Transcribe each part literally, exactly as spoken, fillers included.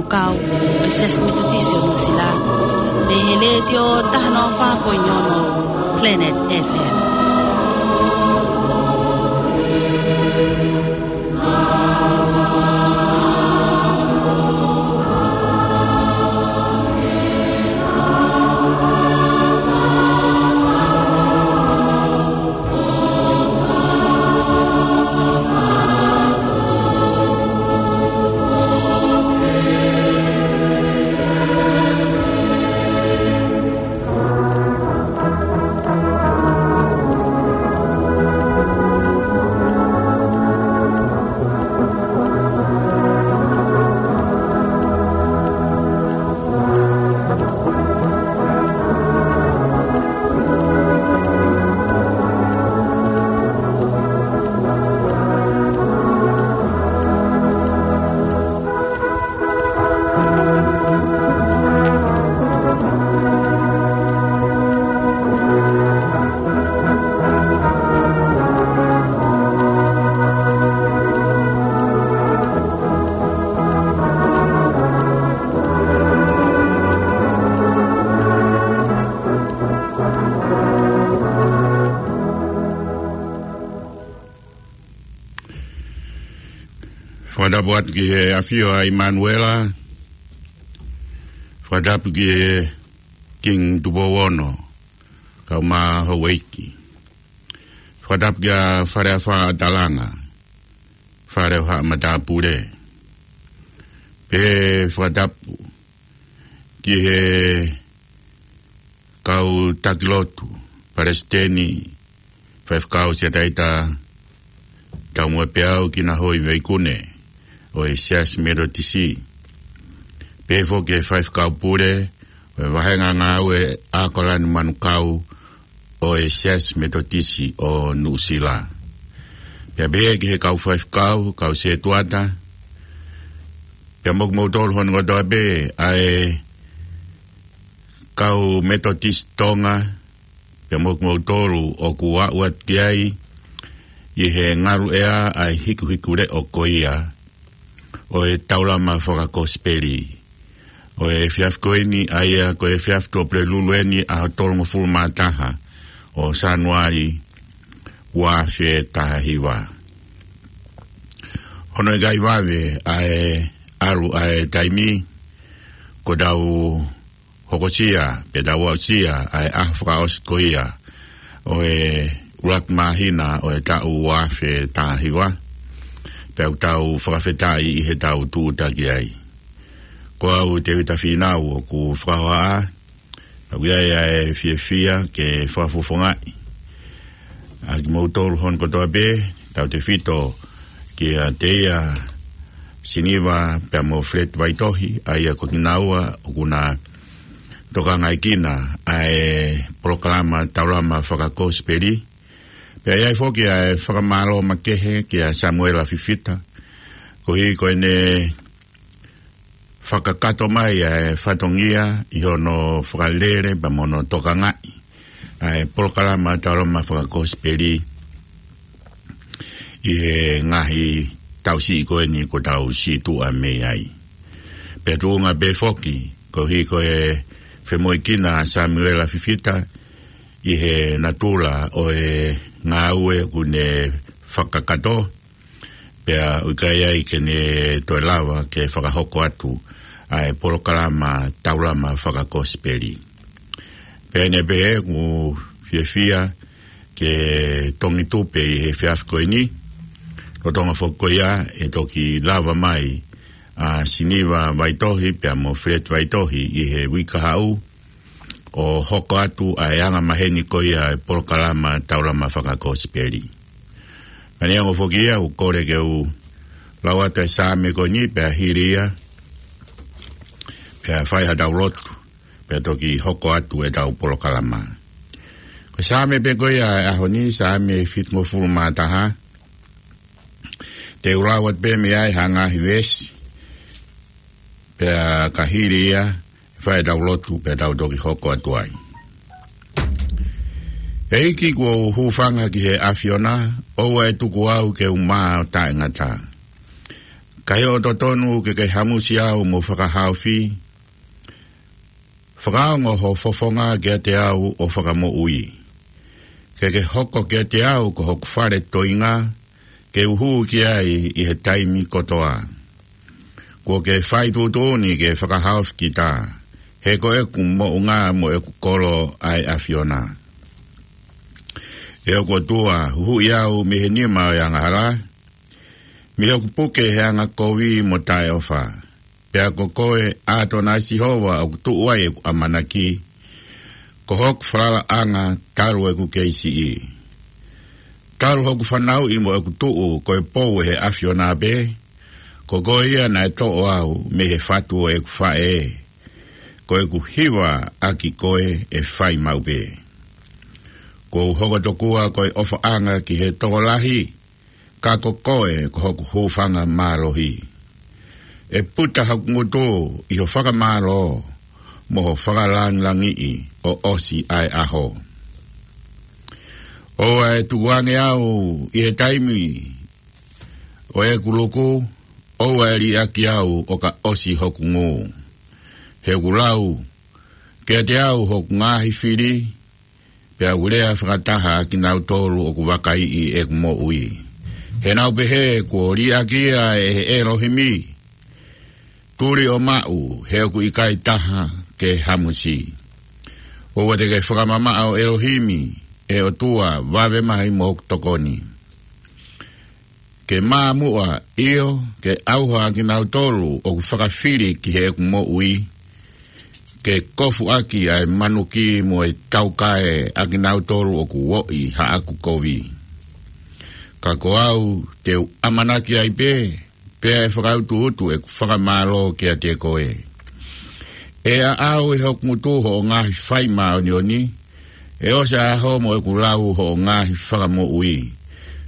Kau, ʻa e Siasi Metotisi ʻo Nuʻusila, mei he Letiō taha noa fā poini ono Planet F M. Fakatapu atu ki he ʻAfio ʻa ʻImanuela. Fakatapu ki he Kingi Tupou Ono, kae ʻumaʻā houʻeiki. Fakatapu kia Faleʻafa ʻAtalanga, Fale ʻo Haʻa Matāpule. Pehē fakatapu ki he kau taki lotu, Palesiteni, Faifekau, Siataita Taumuʻa Peau, Kinahoiveikune ʻo e Siasi Metotisi. Pehē foki ki he Faifekau Pule ʻo e Vāhenga Ngāue ʻAokalani Manukau ʻo e Siasi Metotisi ʻo Nuʻusila. Pea pehē ki he kau faifekau, kau setuata, pea mo kimoutolu hono kotoa pē ʻa e kau Metotisi Tonga, pea mo kimoutolu ʻoku aʻu atu ki ai ʻi he ngaluʻea ʻa e hikuhikuleʻo ko ia ʻo e taulama fakakosipeli ʻo e efiafi ko eni, ʻa ia ko e efiafi Tuʻapulelulu eni, ʻaho tolungofulu mā taha ʻo Sānuali, ua afe taha hiva. Hono ʻikai vave ʻa e ʻalu ʻa e taimi, kuo tau hokosia, pe tau aʻusia ʻa e ʻaho fakaʻosi ko ia ʻo e ʻuluaki māhina ʻo e taʻu ua afe taha hiva, pea ʻoku tau fakafetaʻi ʻi heʻetau tūʻuta ki ai. Ko au Tēvita Fīnau ʻoku fakahohaʻa, pea ʻoku ʻi ai ʻa e fiefia ke fakafofongaʻi ʻa kimoutolu hono kotoa pē, tautefito kia Teia Siniva pea mo Fred Vaitohi, ʻa ia ko kinaua ʻoku na tokangaekina ʻa e polokalama taulama fakakosipeli. Pea ʻi ai foki ʻa e fakamālō makehe kia Samuela Fifita, koeʻuhi ko ʻene fakakakato mai ʻa e fatongia ʻi hono fakalele pea mo hono tokangaʻi ʻa e polokalama taulama fakakosipeli ʻi he ngaahi taʻu siʻi ko eni kuo tau situʻa mei ai. Pea tuʻunga pē foki, koeʻuhi ko e femoʻuekina ʻa Samuela Fifita ʻi he natula ʻo e ngāue ʻoku ne fakakakato, pea ʻoku ʻikai ai ke ne toe lava ke fakahoko atu ʻa e polokalama taulama fakakosipeli. Pea ʻi heʻene pehē, ʻoku fiefia ke tongi tupe ʻi he efiafi ko eni, lolotonga foki ko ia ʻe toki lava mai ʻa Siniva Vaitohi pea mo Fred Vaitohi ʻi he uike kahaʻu, ʻo hoko atu ʻa e anga maheni ko ia ʻa e polokalama taulama fakakosipeli. Ka neongo foki ia, ʻoku ou kole ke u lau atu ʻa e Saame ko eni pea hili ia, pea fai haʻatau lotu, pea toki hoko atu ʻetau polokalama. Ko e Saame pē ko ia ʻo e ʻaho ni, Saame fitungofulu mā taha. Te u lau atu pē mei ai ha ngaahi veesi, pea ka hili ia, fai ʻetau lotu pea tau toki hoko atu ai. ʻEiki, kuo u hūfanga ki he ʻAfiona, ʻoua ʻe tuku au ke u mā ʻo taʻengata. Ka ʻi hoʻo totonu ke ke hamusi au mo fakahaofi, fakaongo ho fofonga kiate au ʻo fakamoʻui. Ke ke hoko kiate au ko hoku fale toenga, ke u hū ki ai ʻi he taimi kotoa. Kuo ke fai tuʻutuʻuni ke fakahaofi kita, he ko ʻeku moʻunga mo ʻeku kolo ʻa e ʻAfiona. ʻE hoku ʻOtua, huhuʻi au mei he nima ʻo e angahala, mei hoku puke he anga kovi mo taʻeʻofa. Pea ko koe, ʻAtonai Sihova, ʻoku tuʻu ai ʻeku ʻamanaki, ko hoku falalaʻanga talu ʻeku kei siʻi. Talu hoku fanauʻi mo ʻeku tuʻu ko e pou ʻe he ʻAfiona pē, ko koe ia naʻe toʻo au mei he fatu ʻo ʻeku faʻē. Ko ʻeku hiva ʻaki koe ʻe fai maʻu pē. Kuo u hoko tokua ko e ʻofaʻanga ki he tokolahi, ka ko koe ko hoku hūfanga mālohi. ʻE puta hoku ngutu ʻi ho fakamālō, mo ho fakalāngilangiʻi ʻo ʻosi ʻa e ʻaho. ʻOua ʻe tukuange au ʻi he taimi ʻo ʻeku luku, ʻoua ʻe liʻaki au ʻo ka ʻosi hoku ngū. He ʻoku lau kiate au hoku ngaahi fili, pea ʻoku lea fakataha ʻa kinautolu ʻoku vakaiʻi ʻeku moʻui. He nau pehē kuo liʻaki ia ʻe he ʻElohimi. Tuli ʻo maʻu, he ʻoku ʻikai taha ke hamusi. ʻOua te ke fakamamaʻo ʻElohimi, ʻe ʻOtua, vave mai mo hoku tokoni. Ke māmuʻa, ʻio, ke ʻauha ʻa kinautolu ʻoku fakafili ki heʻeku moʻui, ke kofu ʻaki ʻa e manuki mo e taukae ʻa kinautolu ʻoku oʻi haʻaku kovi. Ka ko au te u ʻamanaki ai pē, pea ʻe fakautuutu ʻeku fakamālō kiate koe. ʻE ʻaʻau ʻe hoku ngutu hoʻo ngaahi fai māʻoniʻoni, ʻe ʻosi ʻa e ʻaho mo ʻeku lau hoʻo ngaahi fakamoʻui,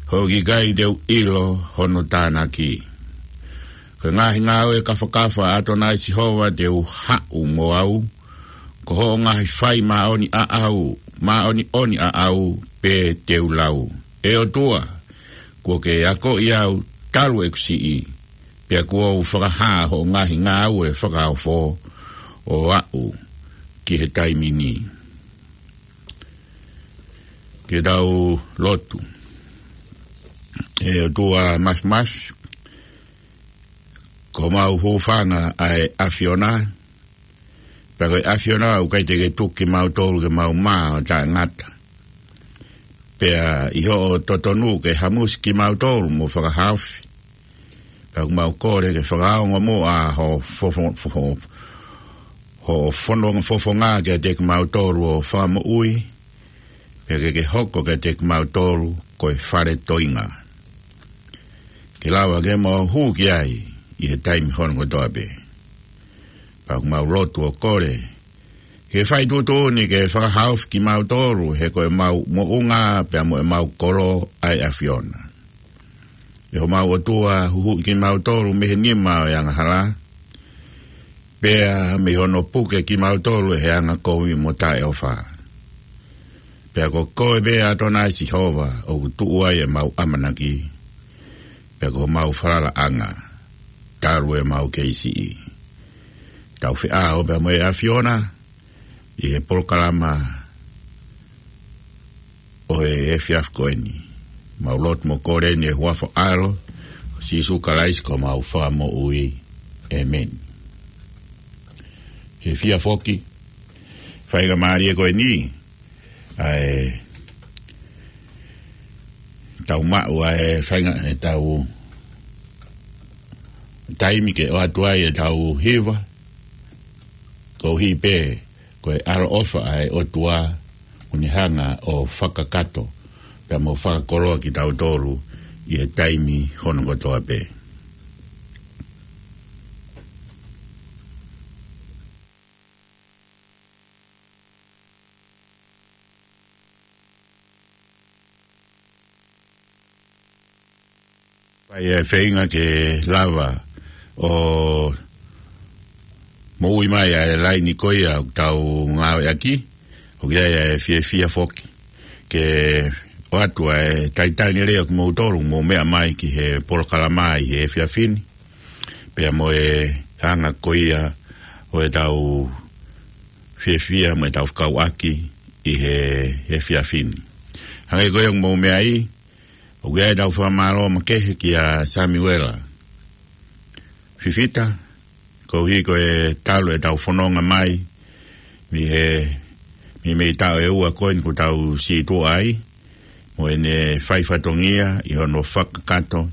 he ʻoku ʻikai te u ʻilo hono tānaki. Ko e ngaahi ngāue kafakafa ʻa ʻAtonai Sihova te u haʻu mo au, ko hoʻo ngaahi fai māʻoniʻaʻau, māʻoniʻoniʻaʻau pē te u lau. ʻE ʻOtua, kuo ke akoʻi au talu ʻeku siʻi, pea kuo u fakahā hoʻo ngaahi ngāue fakaofo ʻo aʻu ki he taimi ni. Ke tau lotu. ʻE ʻOtua Māfimafi, ko homau hūfanga ʻa e ʻAfiona, pea ko e ʻAfiona ʻoku ʻikai te ke tuku kimautolu ke mau mā ʻo taʻengata. Pea ʻi hoʻo totonu ke hamusi kimautolu mo fakahaofi. Pea ʻoku mau kole ke fakaongo muʻa ho fofo-, fofo-, ho fono-, fofonga kiate kimautolu ʻo fakamoʻui, pea ke ke hoko kiate kimautolu ko e fale toenga. Ke lava ke mau hū ki ai ʻi he taimi hono kotoa pē. Pea ʻoku mau lotu ʻo kole, ke fai tuʻutuʻuni ke fakahaofi kimautolu, he ko ʻemau moʻunga pea mo ʻemau kolo ʻa e ʻAfiona. ʻE homau ʻOtua, huhuʻi kimautolu mei he nima ʻo e angahala, pea mei hono puke kimautolu ʻe he anga kovi mo taʻeʻofa. Pea ko koe pē ʻAtonai Sihova ʻoku tuʻu ai ʻemau ʻamanaki, pea ko homau falalaʻanga talu ʻemau kei siʻi. Tau feʻao pea mo e ʻAfiona ʻi he polokalama ʻo e efiafi ko eni. Mau lotu mo kole ni ʻi he huafa ʻo e ʻAlo ko Sīsū Kalaisi ko homau Fakamoʻui. ʻĒmeni. Ke fie foki, faingamālie ko eni ʻa e tau maʻu ʻa e fainga-, ʻetau taimi ke ʻoatu ai ʻetau hiva, koeʻuhi pē ko e ʻaloʻofa ʻa e ʻOtua ʻoku ne hanga ʻo fakakakato pea mo fakakoloa kitautolu ʻi he taimi hono kotoa pē. Fai e feinga ke lava ʻo moʻui mai ʻa e laini ko ia ʻoku tau ngāueʻaki, ʻoku ʻi ai e fiefia foki ke ʻoatu ʻa e talitali lelei ʻo kimoutolu ʻoku mou meʻa mai ki he polokalama ʻi he efiafi ni. pea mo e anga ko ia ʻo ʻetau fiefia mo ʻetau fekauʻaki ʻi he, he efiafi ni. Hangē ko ia ʻoku mou meaʻi, ʻoku ʻi ai ʻetau fakamālō makehe kia Samiuela Fifita, koeʻuhi ko e talu ʻetau fononga mai mei he, mei, mei he taʻu ʻe ua ko eni kuo tau situʻa ai, mo ʻene fai fatongia ʻi hono fakakakato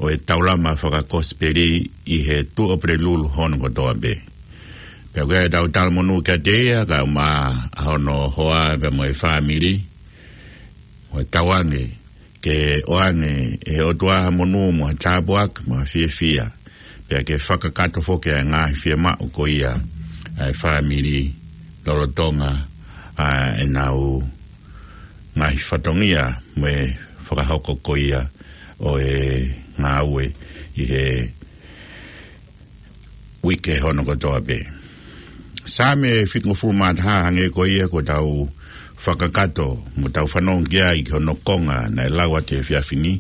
ʻo e taulama fakakosipeli ʻi he Tuʻapulelulu hono kotoa pē. Pea ʻoku ʻi ai ʻetau talamonū kiate ia, kae ʻumaʻā hono hoa pea mo e fāmili, mo e tauange ke ʻoange ʻe he ʻOtua ha monū mo ha tāpuaki mo ha fiefia, pea ke fakakakato foki ʻa e ngaahi fiemaʻu ko ia ʻa e fāmili lolotonga ʻa ʻenau ngaahi fatongia mo e fakahoko ko ia ʻo e ngāue ʻi he uike hono kotoa pē. Saame fitungofulu mā taha, hangē ko ia kuo tau fakakakato mo tau fanongo ki ai ki hono konga naʻe lau atu he efiafi ni.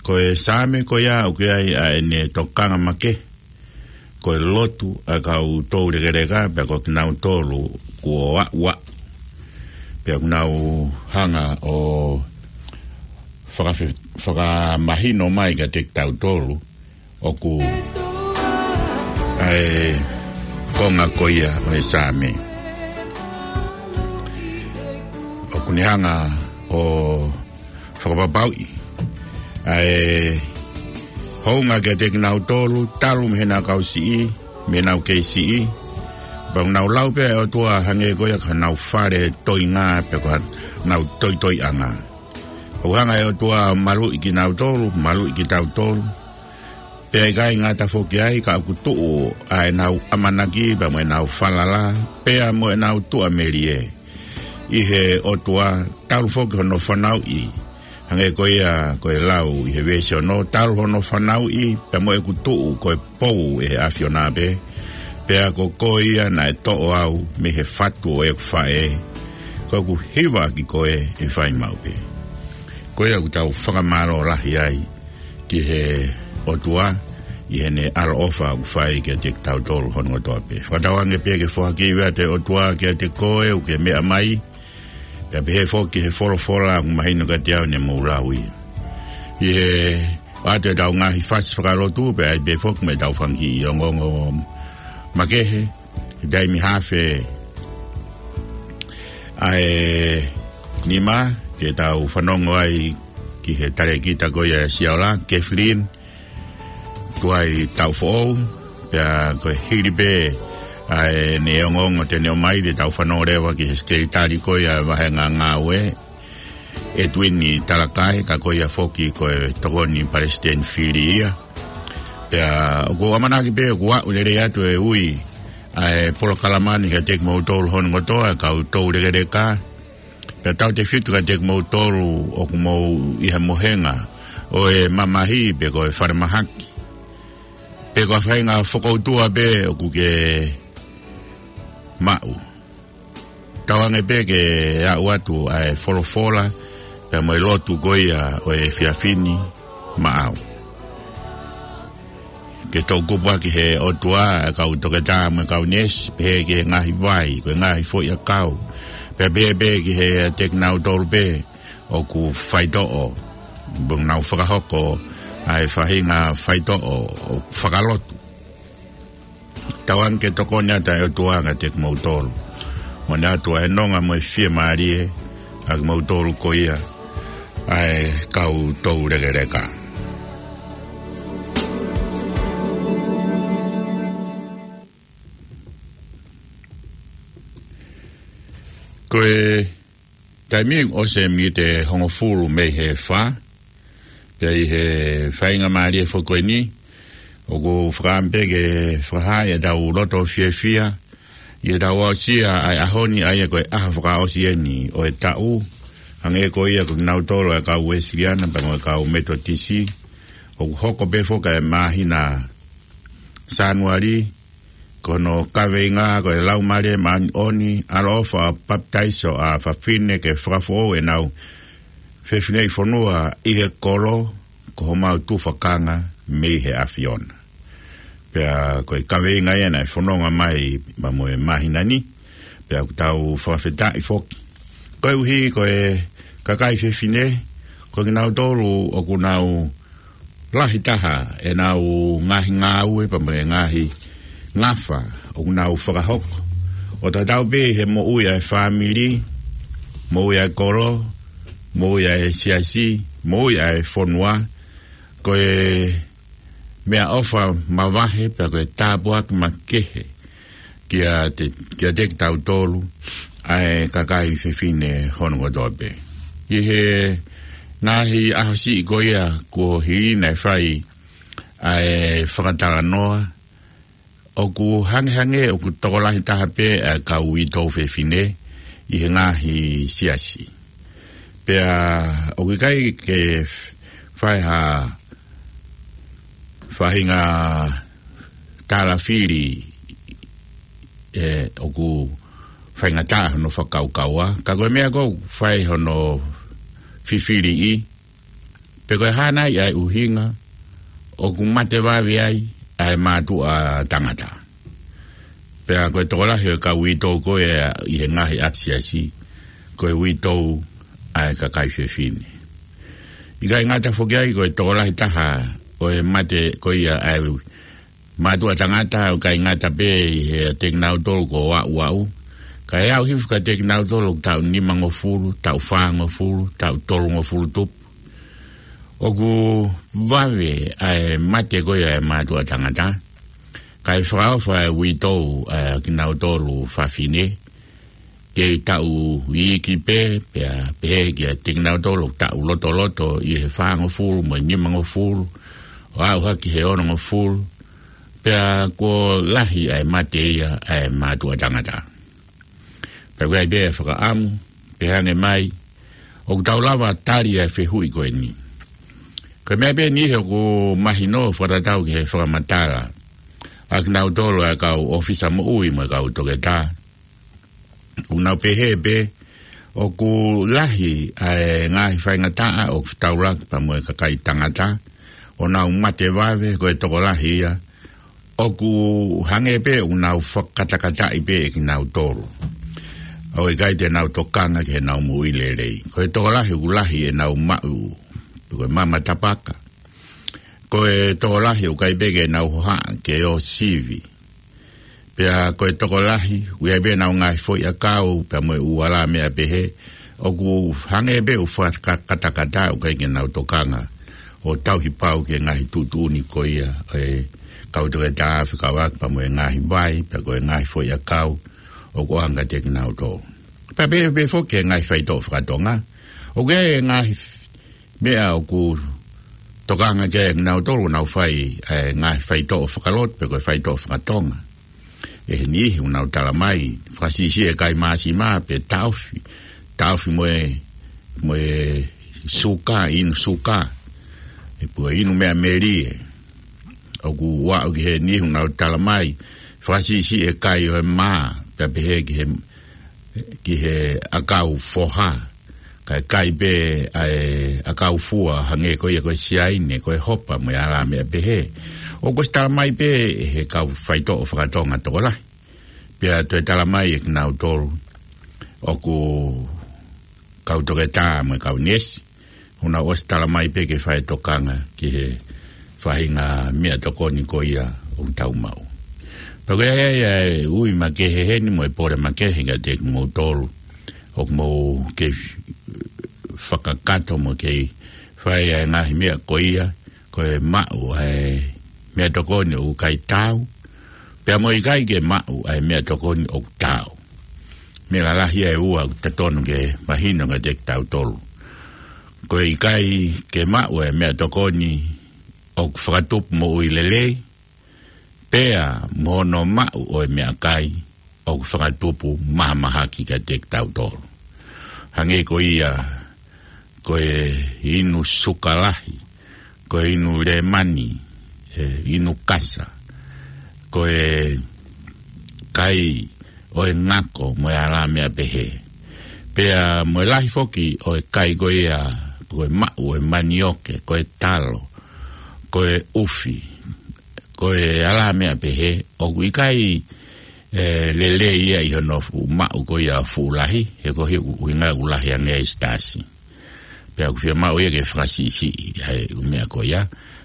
Ko e Saame ko ia ʻoku ʻi ai ʻa ʻene tokanga makehe, ko e lotu ʻa e kau toulekeleka, pea ko kinautolu kuo aʻu ʻa, pea ʻoku nau hanga ʻo fakafe-, fakamahino mai kiate kitautolu ʻoku ʻa e konga ko ia ʻo e Saame ʻoku ne hanga ʻo fakapapauʻi ʻa e hounga kiate kinautolu, talu mei heʻenau kau siʻi, mei heʻenau kei siʻi. Pea ʻoku nau lau pē ʻe he ʻOtua hangē ko ia ko ʻenau fale toenga, pea ko ʻenau toitoiʻanga. ʻOku hanga ʻe he ʻOtua ʻo maluʻi kinautolu, maluʻi kitautolu. Pea ʻikai ngata foki ai, ka ʻoku tuʻu ʻa ʻenau ʻamanaki, pea mo ʻenau falala, pea mo ʻenau tuʻamelie ʻi he ʻOtua, talu foki hono fanauʻi. Hangē ko ia ko e lau ʻi he veesi ono, talu hono fanauʻi, pea mo ʻeku tuʻu ko e pou ʻe he ʻAfiona pē, pea ko koe ia naʻe toʻo au mei he fatu ʻo ʻeku faʻē, ko ʻeku hiva ki koe ʻe fai maʻu pē. Ko ia ʻoku tau fakamālō lahi ai ki he ʻOtua ʻi heʻene ʻaloʻofa ʻoku fai kiate kitautolu hono kotoa pē. Fakatauange pē ke foaki atu ʻe he ʻOtua kiate koe ʻoku ke meʻa mai, pea pehē foki ki he folofola ʻoku mahino kiate au ne mou lau ia. ʻI he ʻoatu ʻetau ngaahi fasi fakalotu, pea ʻi ai pē foki mo ʻetau fanga kiʻi ongoongo makehe, he taimi haafe ʻa e nima, ke tau fanongo ai ki he talēkita ko ia ʻa Siaola, Kathleen Tuaitaʻufoʻou, pea ko e hili pē ʻa ʻene ongoongo te ne ʻomai, te tau fanongo leva ki he sekelitali ko ia ʻa e vāhenga ngāue, Edwin Talakai, ka ko ia foki ko e tokoni palesiteni fili ia. Pea ʻoku ou ʻamanaki pē ʻoku aʻu lelei atu e ui ʻa e polokalama ni kiate kimoutolu hono kotoa, kau toulekeleka. Pea tautautefito kiate kimoutolu ʻoku mou ʻi he mohenga ʻo e mamahi pe ko e falemahaki, pe ko ha faʻahinga fokoutua pē ʻoku ke maʻu. Tauange pē ke aʻu atu ʻa e folofola, pea mo e lotu ko ia ʻo e efiafi ni maʻau. Ke toʻukupu ʻaki ʻe he ʻOtua ʻa e kau toketā mo e kau neesi, pehē ki he ngaahi vai, ko e ngaahi foʻiʻakau. Pea pehē pē kiate kinautolu pē ʻoku faitoʻo, ʻoku nau fakahoko ʻa e faʻahinga faitoʻo ʻo fakalotu. Tauange ke tokoni atu ʻa e ʻOtua kiate kimoutolu, mo ne ʻoatu ʻa e nonga mo e fiemālie ʻa kimoutolu ko ia ʻa e kau toulekeleka. Ko e taimi ʻosi e miniti ʻe hongofulu mei he fā, pea ʻi he faingamālie foki ko eni, ʻoku ou fakaʻamu pē ke fakahā ʻetau loto fiefia ʻi heʻetau aʻusia ʻa e ʻaho ni, ʻa ia ko e ʻaho fakaʻosi eni ʻo e taʻu, hangē ko ia ko kinautolu ʻa e kau Uēsiliana pea mo e kau Metotisi, ʻoku hoko pē foki ʻa e māhina Sānuali, ko hono kaveinga ko e Laumālie Māʻoniʻoni, ʻaloʻofa ʻo e papitaiso ʻa fafine ke fakafoʻou ʻenau fefineʻi fonua ʻi he kolo, ko homau tufakanga mei he ʻAfiona. Pea ko e kaveinga ia naʻe fononga mai pea mo e māhina ni. Pea ʻoku tau fakafetaʻi foki. Koeʻuhi ko e kakai fefine, ko kinautolu ʻoku nau lahi taha ʻenau ngaahi ngāue pea mo e ngaahi ngafa ʻoku nau fakahoko. ʻO tatau pē he moʻui ʻa e fāmili, moʻui ʻa e kolo, moʻui ʻa e siasi, moʻui ʻa e fonua, ko e meʻaʻofa mavahe pea ko e tāpuaki makehe kiate, kiate kitautolu ʻa e kakai fefine hono kotoa pē. ʻI he ngaahi ʻaho siʻi ko ia kuo hili naʻe fai ʻa e fakatalanoa, ʻoku hangehangē ʻoku tokolahi taha pē ʻa e kau uitou fefine ʻi he ngaahi siasi. Pea ʻoku ʻikai ke fai ha faʻahinga talafili ʻe ʻoku faingataʻa hono fakakaukaua. Ka ko e meʻa ʻoku fai hono fifiliʻi, pe ko e hā nai ʻa e ʻuhinga ʻoku mate vave ai ʻa e mātuʻa tangata. Pea ko e tokolahi ʻo e kau uitou ko ia ʻi he ngaahi ʻapisiasi, ko e uitou ʻa e kakai fefine. ʻIkai ngata foki ai, ko e tokolahi taha ʻo e mate ko ia ʻa e mātuʻa tangata ʻoku ʻikai ngata pē ʻi he ʻiate kinautolu ko ʻaʻu ʻaʻu. Ka e aʻu hifo kiate kinautolu taʻu nimangofulu, taʻu fāngofulu, taʻu tolungofulu tupu. ʻOku vave ʻa e mate ko ia ʻa e mātuʻa tangata. Ka e fakaʻofa ʻa e uitou ʻa kinautolu fafine kei taʻu iiki pē, pea pehē kiate kinautolu taʻu lotoloto ʻi he fāngofulu mo e nimangofulu, ʻo aʻu hake he onongofulu, pea kuo lahi ʻa e mate ia ʻa e mātuʻa tangata. Pea ʻoku ʻi ai pē ʻa e fakaʻamu, pea hangē mai, ʻoku tau lava tali ʻa e fehuʻi ko eni. Ko e meʻa pē eni ʻoku mahino fakatatau ki he fakamatala ʻa kinautolu ʻa e kau ʻōfisa moʻui mo e kau toketā. ʻOku nau pehē pē, ʻoku lahi ʻa e ngaahi faingataʻa ʻoku fetaulaki pea mo e kakai tangata, ʻo nau mate vave, ko e tokolahi ia, ʻoku hangē pē ʻoku nau fakakatakataʻi pē ʻe kinautolu. ʻOku ʻikai te nau tokanga ki heʻenau moʻui lelei. Ko e tokolahi ʻoku lahi ʻenau maʻu, ko e mama tapaka. Ko e tokolahi ʻoku ʻikai pē ke nau hohaʻa ke ō sivi. Pea ko e tokolahi, ʻoku ʻi ai pē ʻenau ngaahi foʻi ʻakau, pea mo e ʻū alā meʻa pehē, ʻoku hangē pē ʻoku fakakatakata, ʻoku ʻikai ke nau tokanga ʻo tauhi pau ki he ngaahi tuʻutuʻuni ko ia ʻa e kau toketā fekauʻaki pea mo e ngaahi vai, pea ko e ngaahi foʻi ʻakau ʻoku ʻoange kiate kinautolu. Pea pehē pē foki ki he ngaahi faitoʻo fakatonga. ʻOku ʻi ai e ngaahi meʻa ʻoku tokanga ki ai ʻa kinautolu ʻoku nau fai ʻa e ngaahi faitoʻo fakalotu pe ko e faitoʻo fakatonga. ʻE he niʻihi ʻoku nau tala mai, fakasiʻisiʻi e kai māsima pe taʻofi, taʻofi mo e, mo e suka, inu suka, ʻe pua inu meʻa melie. ʻOku ʻoatu ki he niʻihi ʻoku nau tala mai, fakasiʻisiʻi e kai ʻo e mā, pea pehē ki he ki he ʻakau foha, kae kai pē ʻa e ʻakau fua hangē ko ia ko e siaine, ko e hopa mo e alā meʻa pehē. ʻOku ʻosi tala mai pē ʻe he kau faitoʻo fakatonga tokolahi. Pea toe tala mai ʻe kinautolu ʻoku kau toketā mo e kau neesi. ʻOku nau ʻosi tala mai pē ke fai tokanga ki he faʻahinga meʻatokoni ko ia ʻoku tau maʻu. Pea ko ia ia e ui makehe heni mo e pole makehe kiate kimoutolu ʻoku mou kei fakakakato mo kei fai ʻa e ngaahi meʻa ko ia, ko e maʻu ʻa e meʻatokoni ʻoku ʻikai taau, pea mo e ʻikai ke maʻu ʻa e meʻatokoni ʻoku taau. Meʻa lalahi ʻe ua ʻoku totonu ke mahino kiate kitautolu. Ko e ʻikai ke maʻu e meʻatokoni ʻoku fakatupu moʻui lelei, pea mo hono maʻu ʻo e meʻakai ʻoku fakatupu mahamahaki kiate kitautolu. Hangē ko ia, ko e inu suka lahi, ko e inu lēmani, e inu kasa, ko e kai ʻo e ngako mo e alā meʻa pehē. Pea mo e lahi foki ʻo e kai ko ia, ko e maʻu ʻo e manioke, ko e talo, ko e ʻufi, ʻo e ala meʻa pehē, ʻoku ʻikai, ē, lelei ia ʻi hono fuʻu maʻu ko ia fuʻu lahi, he ko e ʻuhinga ʻoku lahi ange ʻa e sitasi. Pea ʻoku fiemaʻu ia ke fakasiʻisiʻi ʻa e ʻū meʻa ko ia,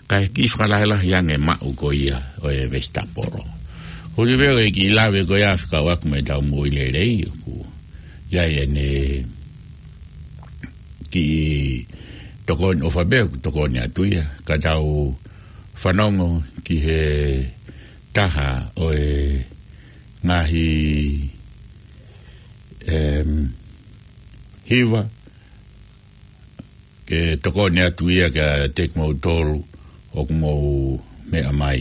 kae kiʻi fakalahilahi ange maʻu ko ia ʻo e vesitapolo. Ko e meʻa ko e kiʻi lave ko ia fekauʻaki mo ʻetau moʻui lelei, ʻoku ʻi ai ʻene kiʻi tokoni ʻofa pē ʻoku tokoni atu ia, ka tau fanongo ki he taha ʻo e ngaahi, em, hiva ke tokoni atu ia kiate kimoutolu ʻoku mou meʻa mai.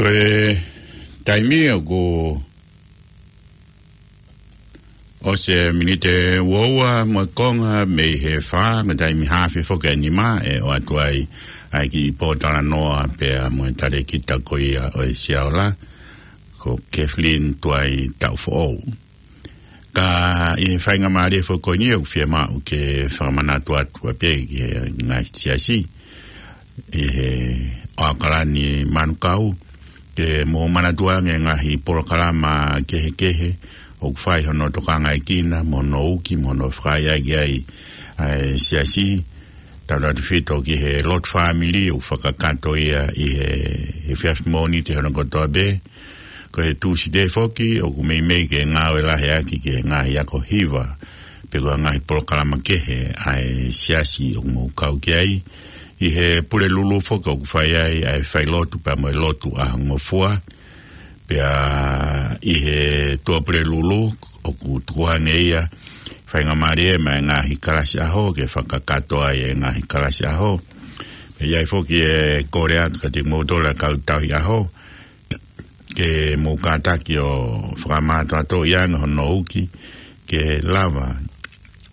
Ko e taimi ʻoku ʻosi e miniti ʻe ua ua mo e konga mei he fā, ko e taimi haafe foki ʻa e nima ʻe ʻoatu ai ʻa e kiʻi pōtalanoa pea mo e talēkita ko ia ʻo e Siaola, ko Kathleen Tuaitaʻufoʻou. Ka ʻi he faingamālie foki ko eni ʻoku fiemaʻu ke fakamanatu atu ʻa pē ki he ngaahi siasi ʻi he ʻAokalani Manukau, ke mou manatuʻi ange ngaahi polokalama kehekehe ʻoku fai hono tokangaʻi kina, mo hono uki, mo hono fakaʻaiʻai ai ʻa e siasi. Tautautefito ki he lotu fāmili ʻoku fakakakato ia ʻi he, he efiafi Mōnite hono kotoa pē. Ko e Tūsite foki, ʻoku meimei ke ngāue lahi ʻaki ki he ngaahi ako hiva, pe ko e ngaahi polokalama kehe ʻa e siasi ʻoku mou kau ki ai. ʻI he Pulelulu foki ʻoku fai ai ʻa e failotu pea mo e lotu ʻaho ngofua. Pea ʻi he Tuʻapulelulu ʻoku tukuange ia, faingamālie maʻa e ngaahi kalasi ʻaho ke fakakakato ai e ngaahi kalasi ʻaho. Pea ʻi ai foki e kole atu kiate kimoutolu ʻa e kau tauhi ʻaho, ke mou kātaki ʻo fakamātoato ia ange hono uki ke lava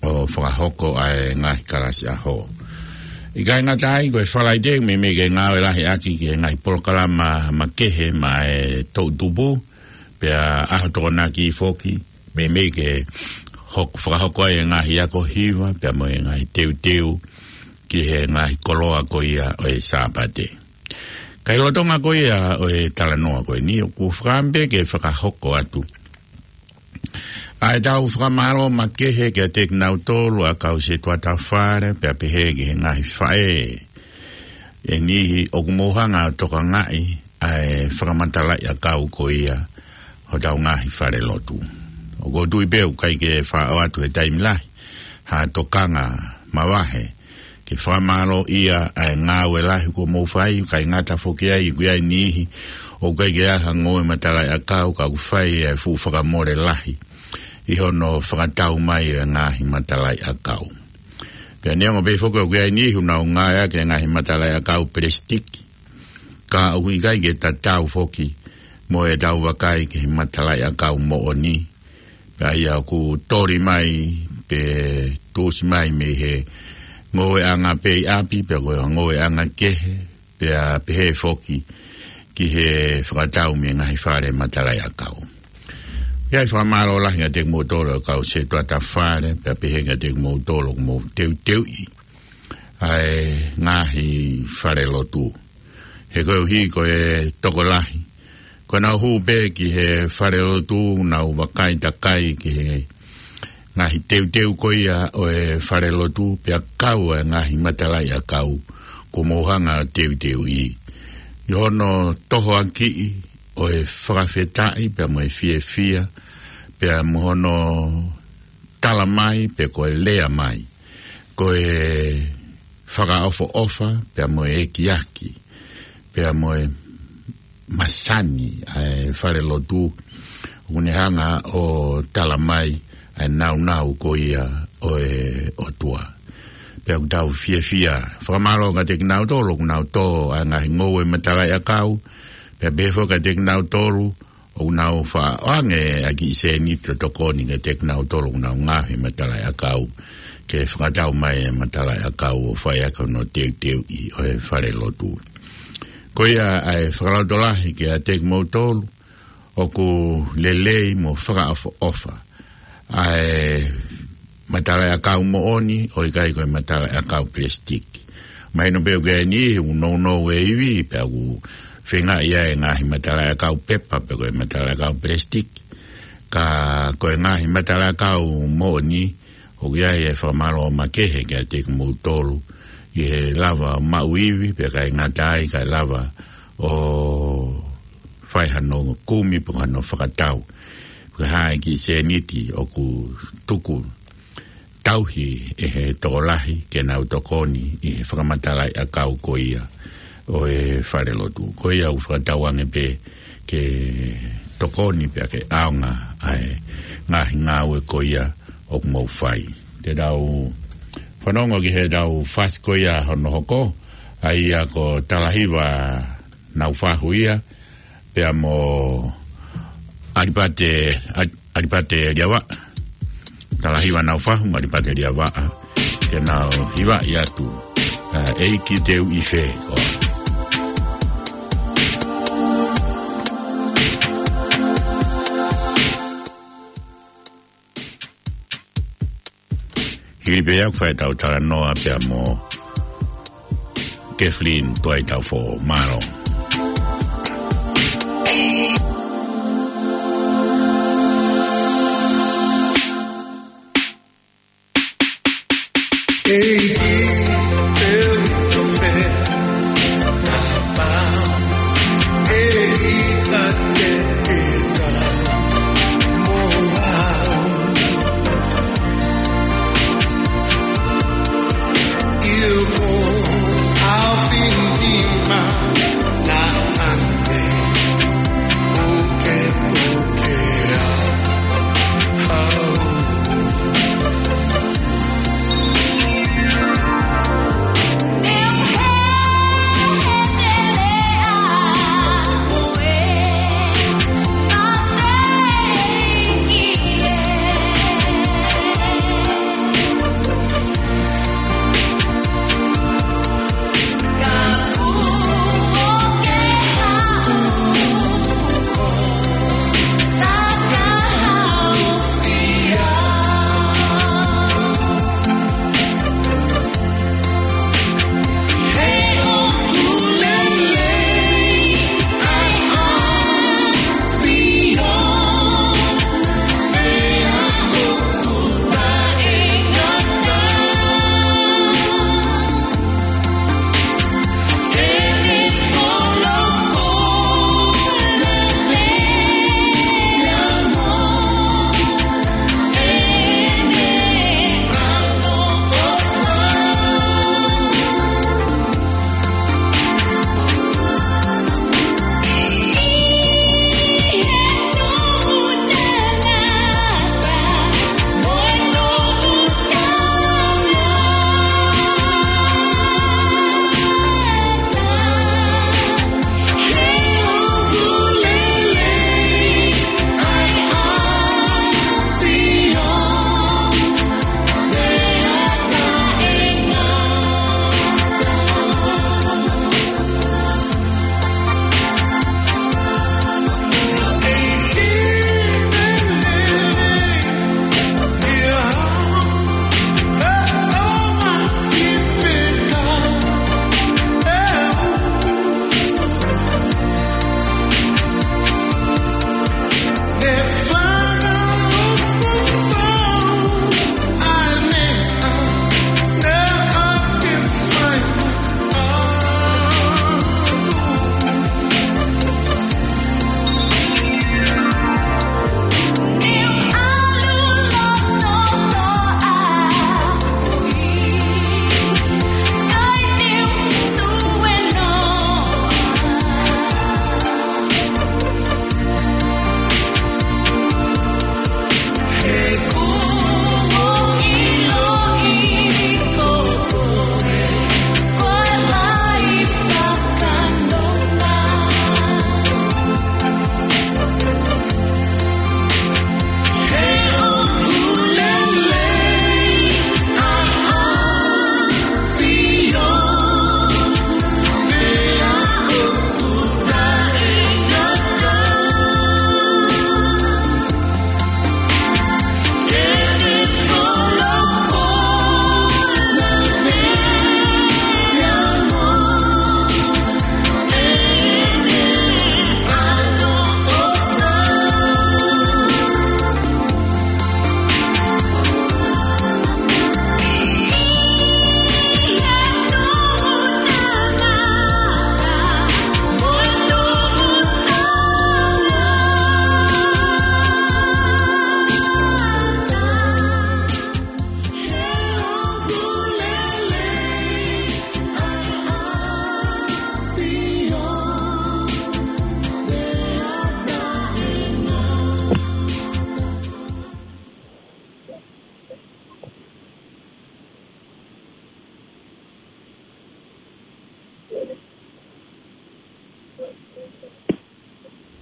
ʻo fakahoko ʻa e ngaahi kalasi ʻaho. ʻIkai ngata ai, ko e Falaite meimei ke ngāue lahi ʻaki ki he ngaahi polokalama makehe maʻa e toʻutupu, pea ʻaho Tokonaki foki, meimei ke hok-, fakahoko ai e ngaahi ako hiva, pea mo e ngaahi teuteu ki he ngaahi koloa ko ia ʻo e Sāpate. Ka ʻi he lolotonga ko ia ʻo e talanoa ko eni, ʻoku ou fakaʻamu pē ke fakahoko atu ʻa ʻetau fakamālō makehe kiate kinautolu ʻa e kau setuata fale, pea pehē ki he ngaahi faʻē ʻe niʻihi ʻoku mou hanga ʻo tokangaʻi ʻa e fakamatalaʻiʻakau ko ia hotau ngaahi falelotu. ʻOku ou tui pē ʻoku ʻikai ke faʻo atu he taimi lahi ha tokanga mavahe ke fakamālōʻia ʻa e ngāue lahi kuo mou fai, ʻikai ngata foki ai, ʻoku ʻi ai e niʻihi ʻoku ʻikai ke ʻi ai ha ngoue matalaʻiʻakau, ka ʻoku fai e fuʻu fakamole lahi ʻi hono fakatau mai e ngaahi matalaʻiʻakau. Pea neongo pē foki ʻoku ʻi ai e niʻihi ʻoku nau ngāueʻaki e ngaahi matalaʻiʻakau pelesitiki, ka ʻoku ʻikai ke tatau foki mo ʻetau vakai ki he matalaʻiʻakau moʻoni, pea ʻa ia ʻoku toli mai pe tuʻusi mai mei he ngoueʻanga pē ʻi ʻapi, pe ko e ngoueʻanga kehe, pea pehē foki ki he fakatau mei he ngaahi fale matalaʻiʻakau. ʻI ai e fakamālō lahi kiate kimoutolu ʻa e kau setuata fale, pea pehē kiate kimoutolu ʻoku mou teuteuʻi ʻa e ngaahi falelotu. He koeʻuhi ko e tokolahi, ko ʻenau hū pē ki he falelotu, nau vakai takai ki he ngaahi teuteu ko ia ʻo e falelotu, pea kau e ngaahi matalaʻiʻakau kuo mou hanga ʻo teuteuʻi, ʻi hono tohoakiʻi ʻo e fakafetaʻi, pea mo e fiefia, pea mo hono tala mai, pe ko e lea mai, ko e fakaʻofoʻofa, pea mo e ekiaki, pea mo e masani ʻa e falelotu, ʻoku ne hanga ʻo tala mai ʻa e nāunau ko ia ʻo e ʻOtua. Pea ʻoku tau fiefia. Fakamālō kiate kinautolu ʻoku nau tō ʻa e ngaahi ngoue matalaʻiʻakau, pea pehē foki kiate kinautolu ʻoku nau faʻo ange ʻa e kiʻi sēniti ʻo tokoni kiate kinautolu ʻoku nau ngāue he matalaʻiʻakau, ke fakatau mai e matalaʻiʻakau ʻo fai ʻaki hono teuteuʻi ʻo e falelotu. Ko ia ʻa e fakalotolahi kiate kimoutolu, ʻoku lelei mo fakaʻofoʻofa ʻa e matalaʻiʻakau moʻoni, ʻo ʻikai ko e matalaʻiʻakau pelesitiki. Mahino pē ʻoku ʻi ai e niʻihi ʻoku nounou e ivi, pea ʻoku feinga ia e ngaahi matalaʻiʻakau pepa, pe ko e matalaʻiʻakau pelesitiki. Ka ko e ngaahi matalaʻiʻakau moʻoni, ʻoku ʻi ai e fakamālō makehe kiate kimoutolu, ʻi he lava ʻo maʻu ivi, pea ʻikai ngata ai, kae lava ʻo fai hano kumi pe ko hano fakatau. Ko e hā e kiʻi sēniti ʻoku tuku tauhi ʻe he tokolahi ke nau tokoni ʻi he fakamatalaʻiʻakau ko ia ʻo e falelotu. Ko ia ʻoku fakatauange pē ke tokoni pea ke ʻaonga ʻa e ngaahi ngāue ko ia ʻoku mou fai. Te tau fanongo ki heʻetau fasi ko ia hono hoko, ʻa ia ko Talahiva Naufahu ia, Pea mo ʻAlipate, ʻAli-, ʻAlipate Liavaʻa. Talahiva Naufahu mo ʻAlipate Liavaʻa. Ke nau hivaʻi atu ʻa ʻEiki Te U ʻI Fē Koā. Hili pē ia ʻoku fai ʻetau talanoa pea mo Kathleen Tuʻaitaufoʻou. Mālō.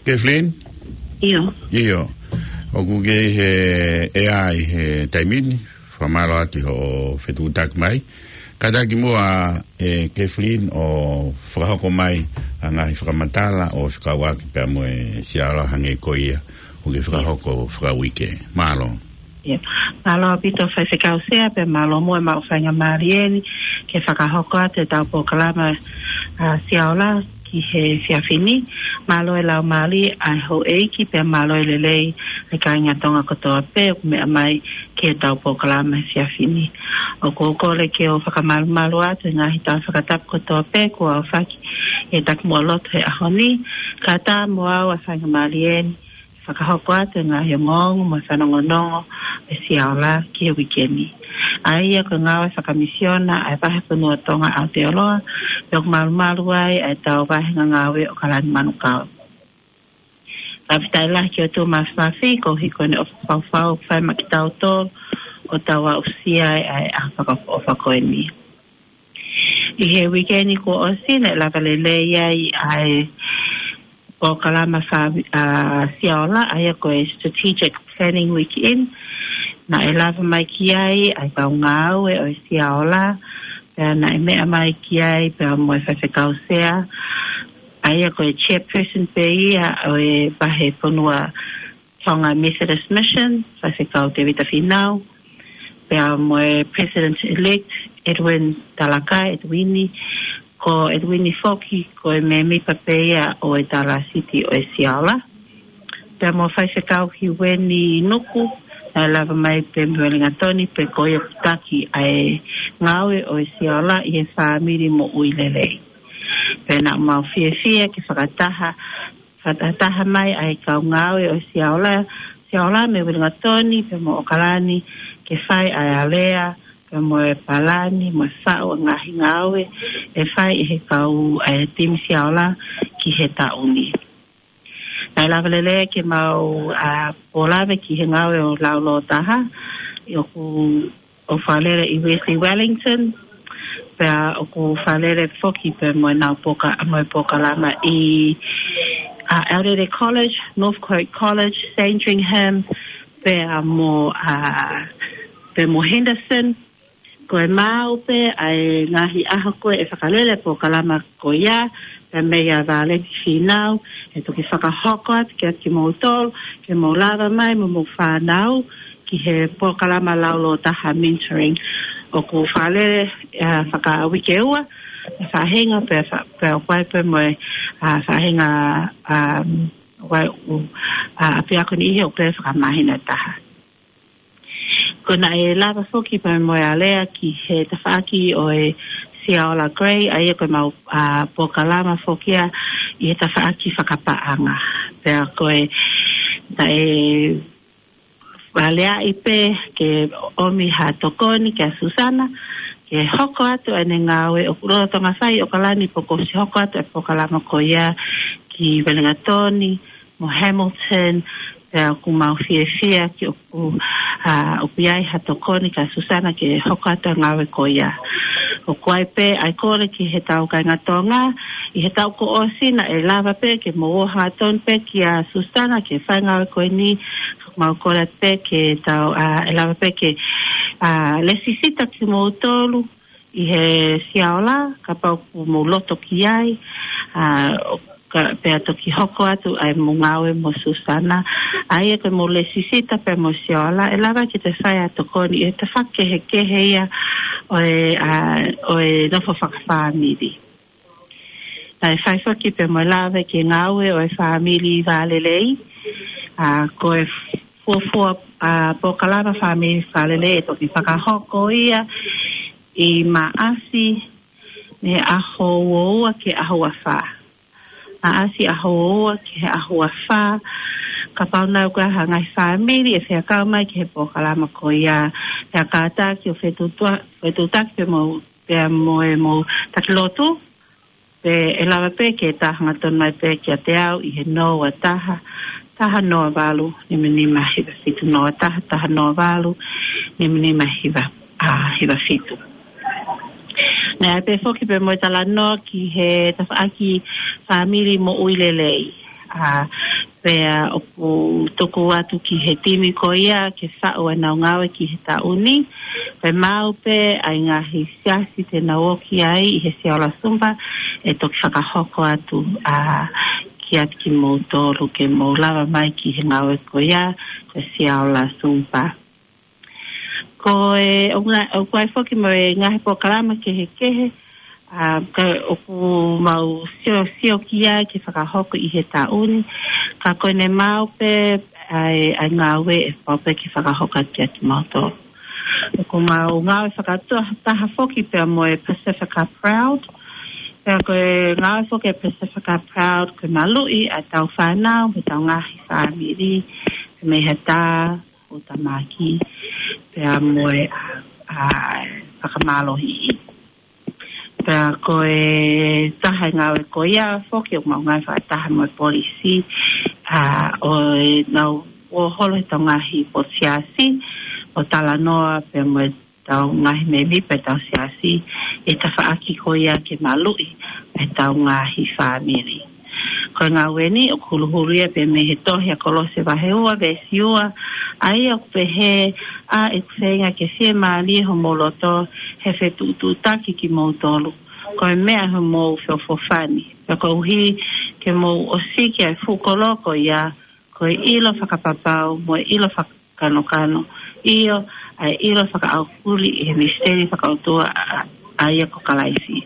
Kathleen? ʻIo. ʻIo. ʻOku ke ʻi he ʻea ʻi he taimi ni, fakamālō atu hoʻo fetuʻutaki mai. Kātaki muʻa ʻe Kathleen ʻo fakahoko mai ʻa e ngaahi fakamatala ʻo fekauʻaki pea mo e Sia Ola hangē ko ia ʻoku ke fakahoko fakauike. Mālō. ʻIo. Mālō ʻaupito Faifekau Sea pea mālō muʻa e maʻu faingamālie ni ke fakahoko atu ʻetau polokalama ʻa Sia Ola ki he efiafi ni. Mālō e laumālie ʻa e houʻeiki pea mālō e lelei ʻa e kāinga Tonga kotoa pē ʻoku meʻa mai ki heʻetau polokalama he efiafi ni. ʻOku ou kole ke u fakamalumalu atu e ngaahi tala fakatapu kotoa pē kuo aofaki ʻi he takimuʻa lotu he ʻaho ni, kae ʻatā mo au ʻa e faingamālie ni ke fakahoko atu e ngaahi ongoongo mo e fanongonongo ʻo e Sia Ola ki he uike ni. ʻA ia ko e ngāue fakamisiona ʻa e Vahefonua Tonga ʻAotearoa, pea ʻoku malumalu ai ʻa ʻetau vāhenga ngāue ʻOkalani Manukau. Fakafetaʻi lahi ki he ʻOtua Māfimafi koeʻuhi ko ʻene ʻofa faufaua ʻoku fai maʻa kitautolu ʻo tau aʻusia ai ʻa e ʻaho fakaʻofoʻofa ko eni. ʻI he uike ni kuo ʻosi naʻe lava lelei ai ʻa e polokalama fa-, ʻa Sia Ola, ʻa ia ko e Strategic Planning Weekend. Naʻe lava mai ki ai ʻa e kau ngāue ʻo e Sia Ola, pea naʻe meʻa mai ki ai pea mo e Faifekau Sea, ʻa ia ko e chairperson pē ia ʻo e Vahefonua Tonga Methodist Mission, Faifekau Tevita Finau, pea mo e President-elect Edwin Talakai, Edwini. Ko Edwini foki ko e mēmipa pē ia ʻo e Tala Siti ʻo e Sia Ola. Pea mo Faifekau Hiueni Nuku, naʻe lava mai pē mei Uelingatoni pea ko ia ʻoku taki ʻa e ngāue ʻo e Sia Ola ʻi he fāmili moʻui lelei. Pea naʻa mau fiefia ke fakataha, fakataha mai ʻa e kau ngāue ʻo e Sia Ola, Sia Ola mei Uelingatoni pea mo ʻOkalani ke fai ʻa e alea, pea mo e palani, mo e faʻu ʻa e ngaahi ngāue ʻe fai ʻe he kau ʻa e timi Sia Ola ki he taʻu ni. Naʻe lava lelei ke mau, ʻa, pōlave ki he ngāue ʻo e laulōtaha, ʻoku, ʻoku fakalele ʻi Wesley Wellington, pea ʻoku fakalele foki pea mo ʻenau poka-, mo e polokalama ʻi, ʻa, Aorere College, Northcote College, Sandringham, pea mo, ʻa, pea mo Henderson. Ko e maau pē ʻa e ngaahi ʻaho ko ē ʻe fakalele e polokalama ko ia, pea meia Vāleti Finau, ʻe toki fakahoko atu kiate kimoutolu, ke mou lava mai mo homou fānau ki he polokalama laulōtaha mentoring. ʻOku fakalele, ʻa, fakauike ua, ʻa e faʻahinga pea fa-, pea ʻoku ʻi ai pē mo e, ʻa, faʻahinga, ʻa, ʻoku ʻi ai, ʻa, ʻapiako niʻihi ʻoku lele fakamāhina ʻe taha. Ko ʻena ʻe lava foki pea mo e alea ki he tafaʻaki ʻo e Sia Ola Grey, ʻa ia ko ʻemau, ʻa, polokalama foki ia ʻi he tafaʻaki fakapaʻanga. Pea ko e, naʻe aleaʻi pē ke ʻomi ha tokoni kia Susana, ke hoko atu ʻene ngāue ʻoku lolotonga fai ʻi ʻOkalani pea kuo ʻosi hoko atu e polokalama ko ia ki Uelingatoni, mo Hamilton, pea ʻoku mau fiefia ki ʻoku, ʻa, ʻoku ʻi ai ha tokoni kia Susana ke hoko atu e ngāue ko ia. ʻOku ʻi ai pē ʻa e kole ki heʻetau kāinga Tonga, ʻi he taʻu kuo ʻosi naʻe lava pē ke mou ō hangatonu pē kia Susana ke fai e ngāue ko eni, ʻoku mau kole pē ke tau, ʻa, ʻe lava pē ke, ʻa, lēsisita kimoutolu ʻi he Sia Ola, kapau ʻoku mou loto ki ai, ʻa, ʻo ka, pea toki hoko atu ʻa e mou ngāue mo Susana, ʻa ia ko ʻemou lēsisita pea mo Sia Ola, ʻe lava ke te fai ha tokoni ʻi he tafaʻaki kehekehe ia ʻo e, ʻa, ʻo e nofo fakafāmili. Naʻe fai foki pea mo e lave ki he ngāue ʻo e fāmili vālelei, ʻa, ko e fuofua, ʻa, polokalama fāmili vālelei ʻe toki fakahoko ia ʻi Maʻasi, mei he ʻaho ua ua ki he ʻaho ua fā. Maʻasi ʻaho ua ua ki he ʻaho ua fā. Kapau naʻe ʻi ai ha ngaahi fāmili ʻe fekau mai ki he polokalama ko ia, pea kātaki ʻo fetuʻutua-, fetuʻutaki pea mo, pea mo ʻemou taki lotu, pea ʻe lava pē ke tā hangatonu mai pē kiate au ʻi he noa ua taha, taha noa valu, nima nima hiva fitu, noa taha, taha noa valu, nima nima hiva, ʻa, hiva fitu. Naʻe ʻi ai pē foki pea mo e talanoa ki he tafaʻaki fāmili moʻui lelei. ʻA, Pea ʻoku tuku atu ki he timi ko ia ke faʻu ʻenau ngāue ki he taʻu ni. Pea maʻu pē ʻa e ngaahi siasi te nau ō ki ai ʻi he Sia Ola Sumpa, ʻe toki fakahoko atu ʻa kiate kimoutolu ke mou lava mai ki he ngāue ko ia, ko e Sia Ola Sumpa. Ko e, ʻoku ʻi ai foki mo e ngaahi polokalama kehekehe, ʻa, ka ʻoku mau sio, sio ki ai ke fakahoko ʻi he taʻu ni, ka ko ʻene maʻu pē ʻa e, ʻa e ngāue ʻe pau pē ke fakahoko atu kiate kimautolu. ʻOku mau ngāue fakataha foki pea mo e Pasifika Proud. Pea ko e ngāue foki ʻa e Pasifika Proud, ko e maluʻi ʻa ʻetau fānau, mo ʻetau ngaahi fāmili, mei he tā, ʻo tamaki, pea mo e, ʻa, ʻa, fakamālohiʻi. Pea ko e taha e ngāue ko ia foki ʻoku mau ngāue fakataha mo e polisi, ʻa, ʻo ʻenau ō holo ʻi heʻetau ngaahi potu siasi, ʻo talanoa pea mo ʻetau ngaahi mēmipa ʻetau siasi, ʻi he tafaʻaki ko ia ke maluʻi ʻetau ngaahi fāmili. Ko e ngāue ni ʻoku huluhulu ia pē mei he tohi ʻa Kolose vahe ua veesi ua, ʻa ia ʻoku pehē, ʻa ʻeku feinga ke fiemālie homou loto he fetuʻutuʻutaki kimoutolu, ko e meʻa ʻi homou feʻofoʻofani, pea koeʻuhi ke mou ʻosiki ʻa e fuʻu kolo ko ia, ko e ʻilo fakapapau mo e ʻilo faka- kanokano, ʻio, ʻa e ʻilo fakaʻaufuli ʻi he misiteli fakaʻotua ʻa, ʻa ia ko Kalaisi.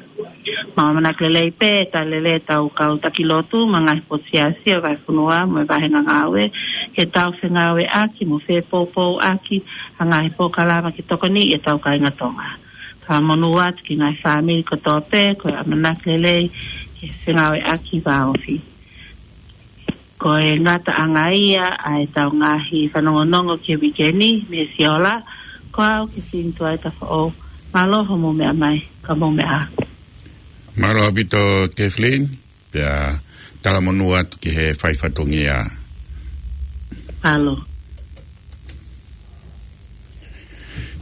Mau ʻamanaki lelei pē, talitali lelei ʻetau kau taki lotu mo e ngaahi potu siasi ʻo e vahefonua mo e vāhenga ngāue, ke tau fengāueʻaki mo fepoupouaki ʻa e ngaahi polokalama ke tokoniʻi ʻetau kāinga Tonga. Fakamonū atu ki he ngaahi fāmili kotoa pē, ko e ʻamanaki lelei ke fengāueʻaki vāofi. Ko e ngataʻanga ia ʻa ʻetau ngaahi fanongonongo ki he uike ni, mei he Sia Ola, ko au Kathleen Tuaita Foʻou, mālō hoʻomou meʻa mai, ka mou meʻa ā. Mālō ʻaupito Kathleen, pea talamonū atu ki he fai fatongia. Mālō.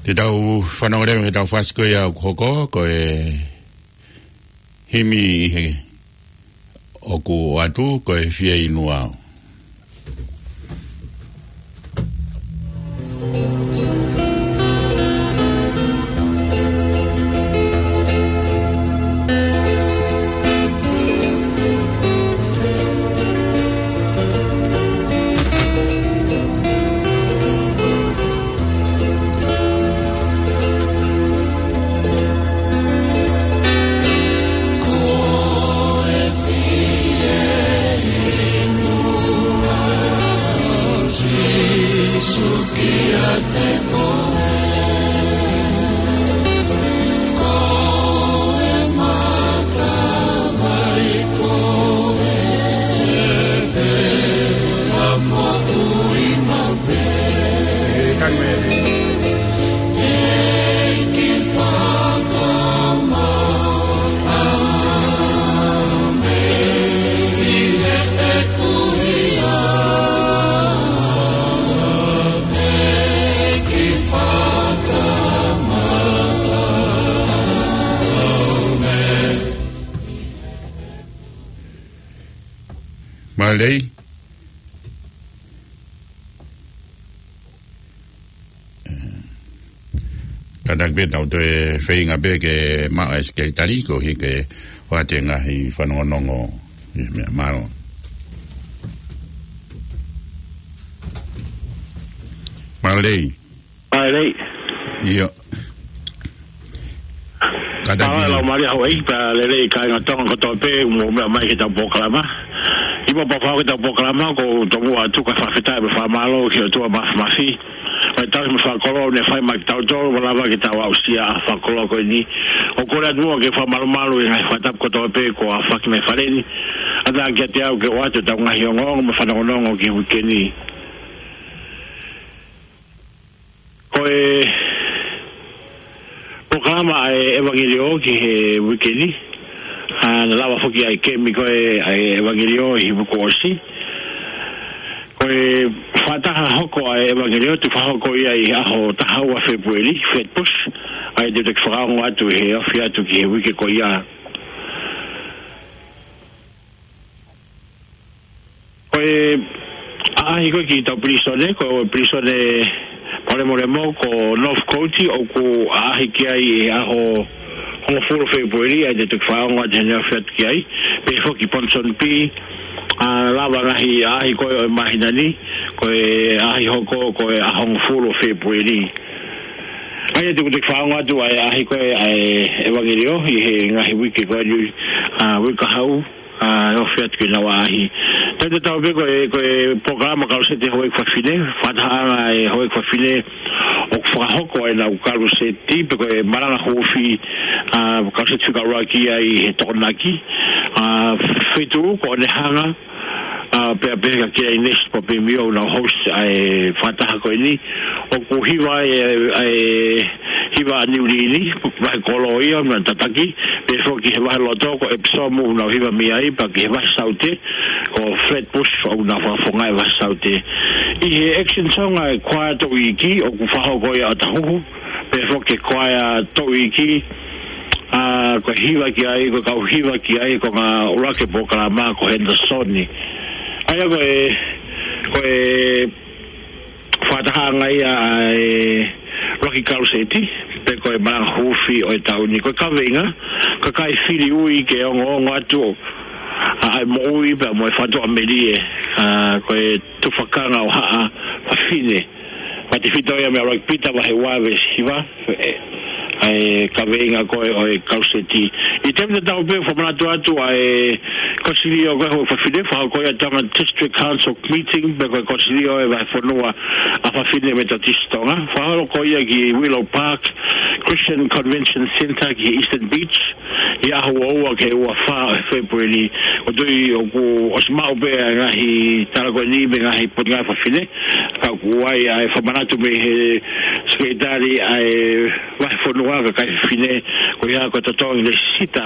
Te tau fanongo leva ki heʻetau fasi ko ia ʻoku hoko, ko e himi ʻi he ʻOku ʻoatu ko e Fieinua au. Mālō. Kātaki pē tau toe feinga pē ke maʻu e sekelitali koeʻuhi ke ʻoatu e ngaahi fanongonongo. Meʻa mālō. Mālō. Mālō. ʻIo. Kātaki. Mālō, mālō, Hawaii, pea lelei kāinga Tonga kotoa pē, mou meʻa mai ki heʻetau polokalama. ʻI he pau ke tau polokalama, ʻoku ou tomuʻa atu ka fakafetaʻi mo fakamālō ki he ʻOtua Māfimafi. Mai tau mo e fakakoloa ne fai mai kiate kitautolu, ʻo lava ke tau aʻusia ʻa e fakakoloa ko eni. ʻOku ou kole atu muʻa ke fakamalumalu ʻi he ngaahi fakatapu kotoa pē kuo aofaki mai he fale ni. ʻAtā kiate au ke ʻoatu ʻetau ngaahi ongoongo mo e fanongonongo ki he uike ni. Ko e polokalama ʻa e ʻEvangeliō ki he uike ni, ʻa, naʻe lava foki ʻa e kemi ko ē ʻa e ʻEvangeliō ʻi he uike kuo ʻosi. Ko e fakataha hoko ʻa e ʻEvangeliō, ʻe fakahoko ia ʻi he ʻaho taha ua Fēpueli, Flatbush, ʻa ia te u toki fakaongo atu he ofi atu ki he uike ko ia. Ko e ʻaʻahi ko ē ki tau pilīsone, ko e pilīsone Palemolemo ko Northcote, ʻoku ʻaʻahi ki ai ʻi he ʻaho hongofulu Fēpueli, ʻa ia te u toki fakaongo atu ʻene afe atu ki ai, pehē foki Ponsonby, ʻa, lava ngaahi ʻaʻahi ko ē ʻo e māhina ni, ko e ʻaʻahi hoko ko e ʻaho hongofulu Fēpueli. ʻA ia te u toki fakaongo atu ʻa e ʻaʻahi ko ē ʻa e ʻevangeliō ʻi he ngaahi uike ko eni, ʻa, uike kahaʻu, ʻa, ʻo afe atu ki heʻenau ʻaʻahi. Tatau pē ko e, ko e polokalama kaluseti houʻeiki fafine, fakatahaʻanga e houʻeiki fafine ʻoku fakahoko ʻenau kaluseti, pe ko e malanga huufi, ʻa, kaluseti fika ʻuluaki ʻi he Tokonaki, ʻa, feituʻu ko ʻOnehanga, ʻa, pea pehē kia Inesi Papimiu ʻoku nau host ʻa e fakataha ko eni, ʻoku hiva e, e, hiva ʻa Niu Lini, vahe kolo ia, ʻoku nau tataki, pehē foki he vahe loto ko Epsom ʻoku nau hiva mei ai, pea ki he vahe saute, ko Flatbush ʻoku nau fakafofongaʻi e vahe saute. ʻI he Action Song ʻa e kuaea Toʻu Iiki, ʻoku fakahoko ia ʻi ʻŌtāhuhu, pehē foki e kuaea Toʻu Iiki, ʻa, ko e hiva ki ai, ko e kau hiva ki ai, ko e konga ʻuluaki e polokalama ko Henderson. ʻA ia ko e, ko e fakatahaʻanga ia ʻa e ʻuluaki kaluseti, pe ko e malanga huufi ʻo e taʻu ni. Ko e kaveinga, kakai fili ui ke ongoongo atu ʻa e moʻui pea mo e fakatuʻamelie, ʻa, ko e tufakanga ʻo haʻa fafine. Fakatefito ia mei he ʻuluaki Pita vahe ua veesi hiva, ʻa e, ʻa e kaveinga ko ē ʻo e kaluseti. ʻI he taimi tatau pē fakamanatu atu ʻa e kosilio ko ē houʻeiki fafine, fakahoko ia ʻi Tonga District Council meeting, pe ko e kosilio ʻo e vahefonua ʻa e fafine Metotisi Tonga. Fakahoko ia ki Willow Park Christian Convention Centre ki Eastern Beach, ʻi he ʻaho ua ua ki he ua fā ʻo Fēpueli. ʻOku ou tui ʻoku ʻosi maʻu pē ʻa e ngaahi tala ko eni mei he ngaahi potungāue fafine, ka ʻoku ʻi ai ʻa e fakamanatu mei he sekelitali ʻa e vahefonua, kakai fafine, ko ia ko e totongi lēsisita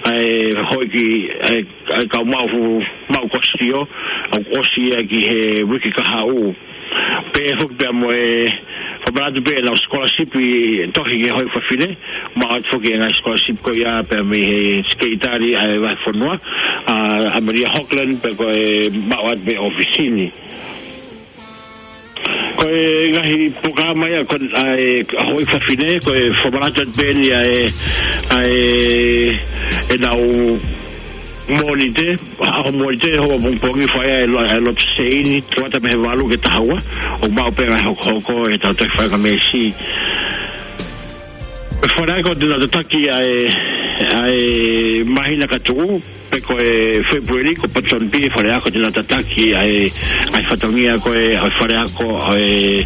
ʻa e houʻeiki, ʻa e, ʻa e kau maʻu fu-, maʻu kosilio, ʻoku ʻosi ia ki he uike kahaʻu. Pehē foki pea mo e fakamanatu pē ʻenau scholarship ʻi he tohi ki he houʻeiki fafine, maʻu atu foki e ngaahi scholarship ko ia pea mei he sekelitali ʻa e vahefonua, ʻa, ʻa Maria Hoglan, pea ko e maʻu atu mei he ʻōfisi ni. Ko e ngaahi polokalama ia ko ē ʻa e houʻeiki fafine, ko e fakamanatu atu pē eni ʻa e, ʻa e, ʻenau Mōnite, ʻaho Mōnite, houa pongipongi fai ai e lo-, e lotu seini, tuata mei he valu ki he taha ua, ʻoku maʻu pē ngaahi hokohoko ʻi heʻetau tohi fakameesi. Ko e faleako te nau tataki ʻa e, ʻa e māhina ka tuʻu, pe ko e Fēpueli, ko Ponsonby e faleako te nau tataki ʻa e, ʻa e fatongia ko ē, ʻa e faleako ʻa e